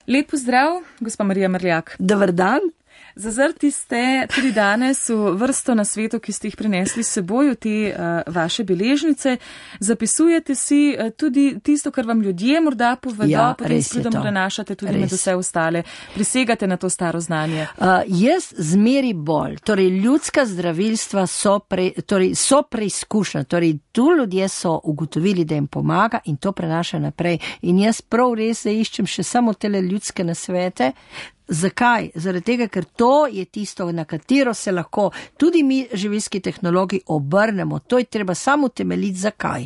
Lep pozdrav, gospa Marija Mrljak. Dober dan. Zazrti ste tudi danes v vrsto na svetu, ki ste jih prinesli s seboj v te vaše beležnice. Zapisujete si tudi tisto, kar vam ljudje morda povedo, potem s pridom prenašate tudi med vse ostale. Prisegate na to staro znanje. Jaz zmeri bolj. Torej, ljudska zdravilstva so preizkušena. Torej, tu ljudje so ugotovili, da jim pomaga in to prenaša naprej. In jaz prav res iščem še samo tele ljudske nasvete. Zakaj? Zaradi tega, ker to je tisto, na katero se lahko tudi mi, živilski tehnologi, obrnemo. To je treba samo temeljiti, zakaj.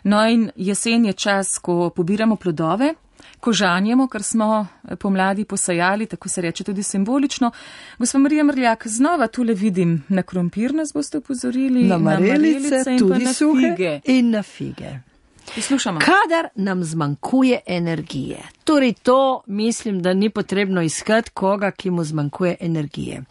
No in jesen je čas, ko pobiramo plodove, ko žanjemo, kar smo pomladi posajali, tako se reče tudi simbolično. Gospa Marija Mrljak, znova tule vidim, na krompir nas boste upozorili, na marelice in tudi na fige. In na fige. Poslušamo. Kadar nam zmanjkuje energije, torej to mislim, da ni potrebno iskati koga, ki mu zmanjkuje energije.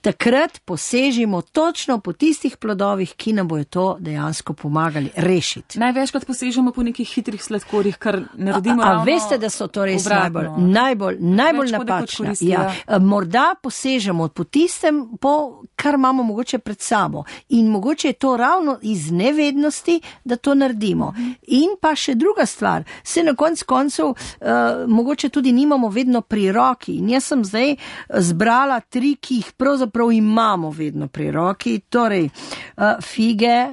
Takrat posežimo točno po tistih plodovih, ki nam bojo to dejansko pomagali rešiti. Največkrat posežemo po nekih hitrih sladkorjih, kar naredimo ravno. A veste, da so to res najbolj napačna. Ja. Morda posežemo po tistem, kar imamo mogoče pred sabo. In mogoče je to ravno iz nevednosti, da to naredimo. In pa še druga stvar, se na koncu mogoče tudi nimamo vedno pri roki. In jaz sem zdaj zbrala 3, ki jih pravzaprav imamo vedno pri roki. Torej, fige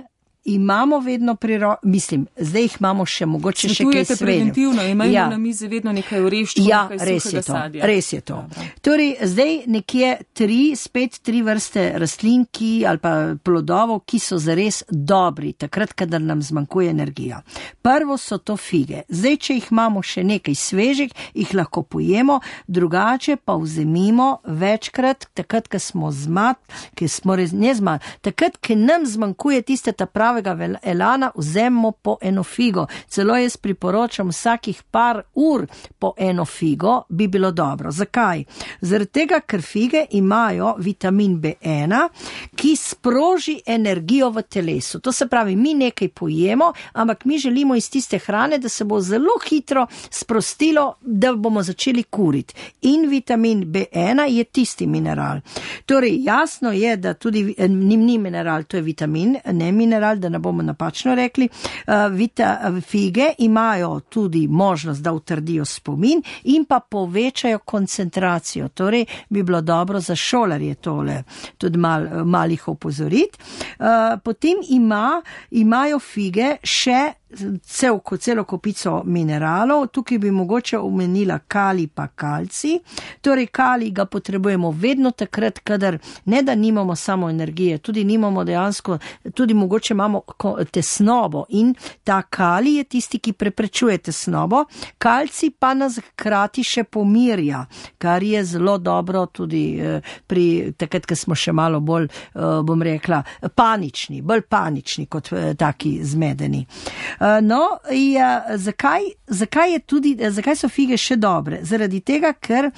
imamo vedno pri roki, mislim, zdaj jih imamo še mogoče še kaj srednjo. Preventivno, imamo na mizi vedno nekaj oreščkov, nekaj suhega sadja. Res je to. Torej, zdaj nekje 3 vrste rastlin, ali pa plodovov, ki so zares dobri, takrat, kadar nam zmanjkuje energija. Prvo so to fige. Zdaj, če jih imamo še nekaj svežih, jih lahko pojemo, drugače pa vzemimo večkrat, takrat, ko smo takrat, ko nam zmanjkuje tiste ta pravega elana, vzemimo po eno figo. Celo jaz priporočam vsakih par ur po eno figo, bi bilo dobro. Zakaj? Zaradi tega, ker fige imajo vitamin B1, ki sproži energijo v telesu. To se pravi, mi nekaj pojemo, ampak mi želimo iz tiste hrane, da se bo zelo hitro sprostilo, da bomo začeli kuriti. In vitamin B1 je tisti mineral. Torej, jasno je, da tudi ni mineral, to je vitamin, ne mineral, da ne bomo napačno rekli. Fige imajo tudi možnost, da utrdijo spomin in pa povečajo koncentracijo. Torej, bi bilo dobro za šolarje tole tudi malih opozoriti. Potem imajo fige še celo kopico mineralov. Tukaj bi mogoče omenila kalij pa kalcij. Torej, kalij ga potrebujemo vedno takrat, kadar ne da nimamo samo energije, tudi nimamo dejansko, tudi mogoče imamo tesnobo in ta kalij je tisti, ki preprečuje tesnobo. Kalcij pa nas hkrati še pomirja, kar je zelo dobro tudi pri takrat, ko smo še malo bolj, bom rekla, bolj panični kot taki zmedeni. Zakaj so fige še dobre? Zaradi tega, ker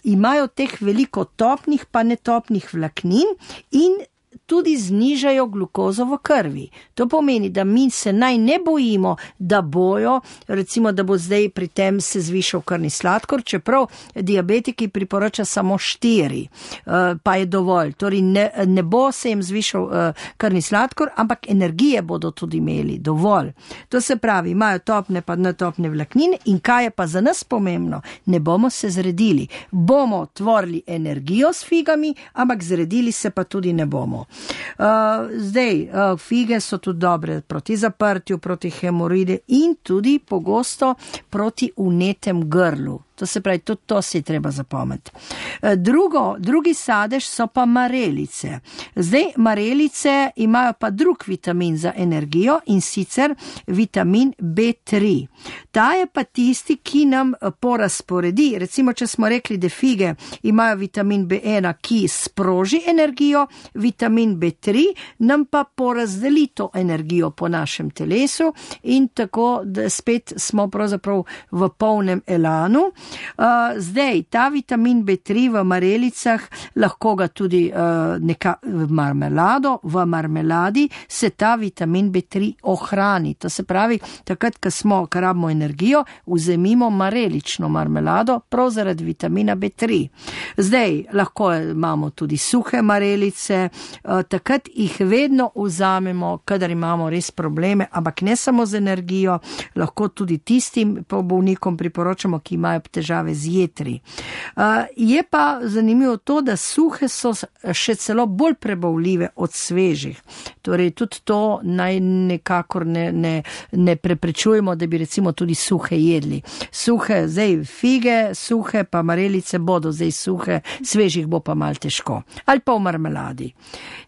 imajo teh veliko topnih pa netopnih vlaknin in tudi znižajo glukozo v krvi. To pomeni, da mi se naj ne bojimo, da bojo, recimo, da bo zdaj pri tem se zvišal krvni sladkor, čeprav diabetiki priporoča samo 4, pa je dovolj. Torej, ne bo se jim zvišal krvni sladkor, ampak energije bodo tudi imeli dovolj. To se pravi, imajo topne pa netopne vlaknine in kaj je pa za nas pomembno, ne bomo se zredili. Bomo tvorili energijo s figami, ampak zredili se pa tudi ne bomo. Fige so tudi dobre proti zaprtju, proti hemoroidi in tudi pogosto proti vnetem grlu. To se pravi, tudi to si treba zapomniti. Drugi sadež so pa marelice. Zdaj, marelice imajo pa drug vitamin za energijo in sicer vitamin B3. Ta je pa tisti, ki nam porazporedi. Recimo, če smo rekli, da fige imajo vitamin B1, ki sproži energijo, vitamin B3 nam pa porazdeli to energijo po našem telesu in tako, da spet smo pravzaprav v polnem elanu. Zdaj, ta vitamin B3 v marelicah, lahko ga tudi v marmeladi se ta vitamin B3 ohrani. To se pravi, takrat, ko rabimo energijo, vzemimo marelično marmelado, prav zaradi vitamina B3. Zdaj, lahko imamo tudi suhe marelice, takrat jih vedno vzamemo, kadar imamo res probleme, ampak ne samo z energijo, lahko tudi tistim bolnikom priporočamo, ki imajo težave z jetri. Je pa zanimivo to, da suhe so še celo bolj prebavljive od svežih. Torej, tudi to naj nekakor ne preprečujemo, da bi recimo tudi suhe jedli. Suhe, zdaj fige, suhe pa marelice bodo zdaj suhe, svežih bo pa malo težko. Ali pa v marmeladi.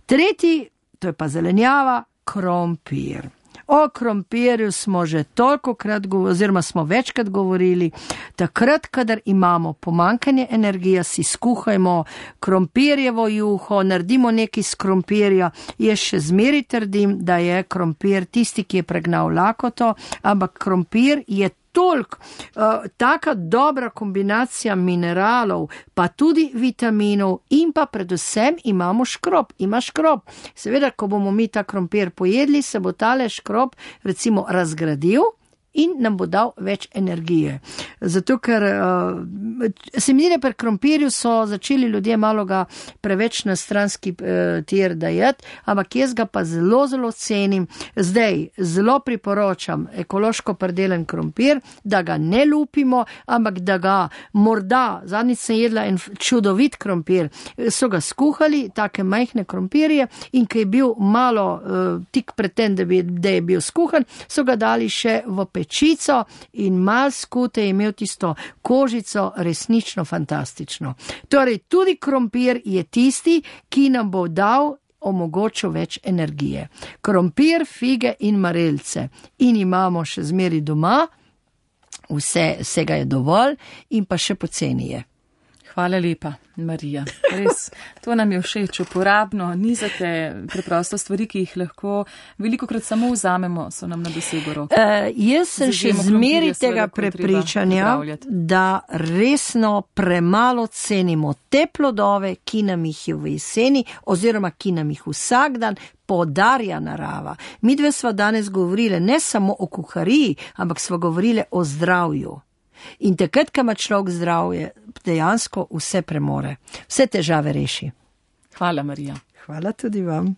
Tretji, to je pa zelenjava, krompir. O krompirju smo že tolikokrat oziroma smo večkrat govorili, takrat, kadar imamo pomanjkanje energije, si skuhajmo krompirjevo juho, naredimo nekaj z krompirja. Jaz še zmeri trdim, da je krompir tisti, ki je pregnal lakoto, ampak krompir je toliko, taka dobra kombinacija mineralov, pa tudi vitaminov in pa predvsem ima škrob. Seveda, ko bomo mi ta krompir pojedli, se bo tale škrob recimo razgradil in nam bo dal več energije. Zato, ker se mi zdi, da pri krompirju so začeli ljudje malo ga preveč na stranski tir dajati, ampak jaz ga pa zelo, zelo cenim. Zdaj, zelo priporočam ekološko pridelen krompir, da ga ne lupimo, ampak da ga morda, zadnjič sem jedla en čudovit krompir, so ga skuhali, take majhne krompirje, in ko je bil malo tik pred tem, da je bil skuhan, so ga dali še v pečico in mal skute je imel tisto kožico, resnično fantastično. Torej, tudi krompir je tisti, ki nam bo omogočil več energije. Krompir, fige in marelice. In imamo še zmeri doma, vsega je dovolj in pa še poceni je. Hvala lepa, Marija. Res, to nam je všeč, uporabno, nizate preprosto stvari, ki jih lahko velikokrat samo vzamemo, so nam na dosegu roke. Jaz sem še zmeri tega prepričanja, da resno premalo cenimo te plodove, ki nam jih je v jeseni oziroma ki nam jih vsak dan podarja narava. Mi dve sva danes govorili ne samo o kuhariji, ampak sva govorili o zdravju. In takrat, ko ima človek zdravje, dejansko vse premore. Vse težave reši. Hvala, Marija. Hvala tudi vam.